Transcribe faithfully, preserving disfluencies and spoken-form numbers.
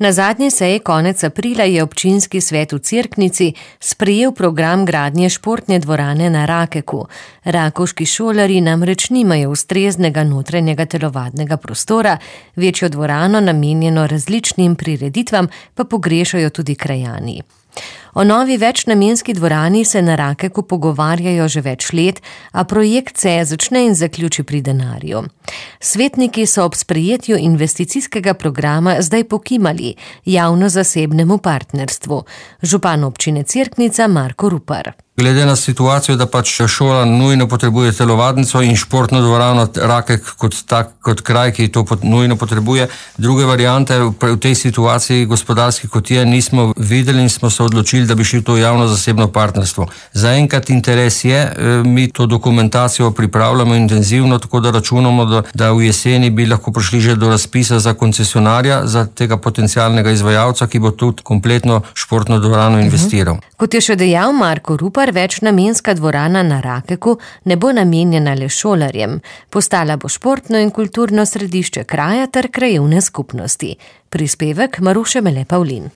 Na zadnji seji konec aprila je občinski svet v Cerknici sprejel program gradnje športne dvorane na Rakeku. Rakovški šolarji namreč nimajo ustreznega notranjega telovadnega prostora, večjo dvorano namenjeno različnim prireditvam pa pogrešajo tudi krajani. O novi večnamenski dvorani se na Rakeku pogovarjajo že več let, a projekt se začne in zaključi pri denarju. Svetniki so ob sprejetju investicijskega programa zdaj pokimali javno-zasebnemu partnerstvu. Župan občine Cerknica Marko Rupar. Glede na situacijo, da pač šola nujno potrebuje telovadnico in športno dvorano Rakek kot tak, kot kraj, ki to pot, nujno potrebuje. Druge variante v tej situaciji gospodarski kot je nismo videli in smo se odločili, da bi šli to javno-zasebno partnerstvo. Zaenkrat interes je, mi to dokumentacijo pripravljamo intenzivno, tako da računamo, da, da v jeseni bi lahko prišli že do razpisa za koncesionarja, za tega potencialnega izvajalca, ki bo tudi kompletno športno dvorano investiral. Uh-huh. Kot je še dejal Marko Rupar, večnamenska dvorana na Rakeku ne bo namenjena le šolarjem. Postala bo športno in kulturno središče kraja ter krajevne skupnosti. Prispevek Maruše Mele Pavlin.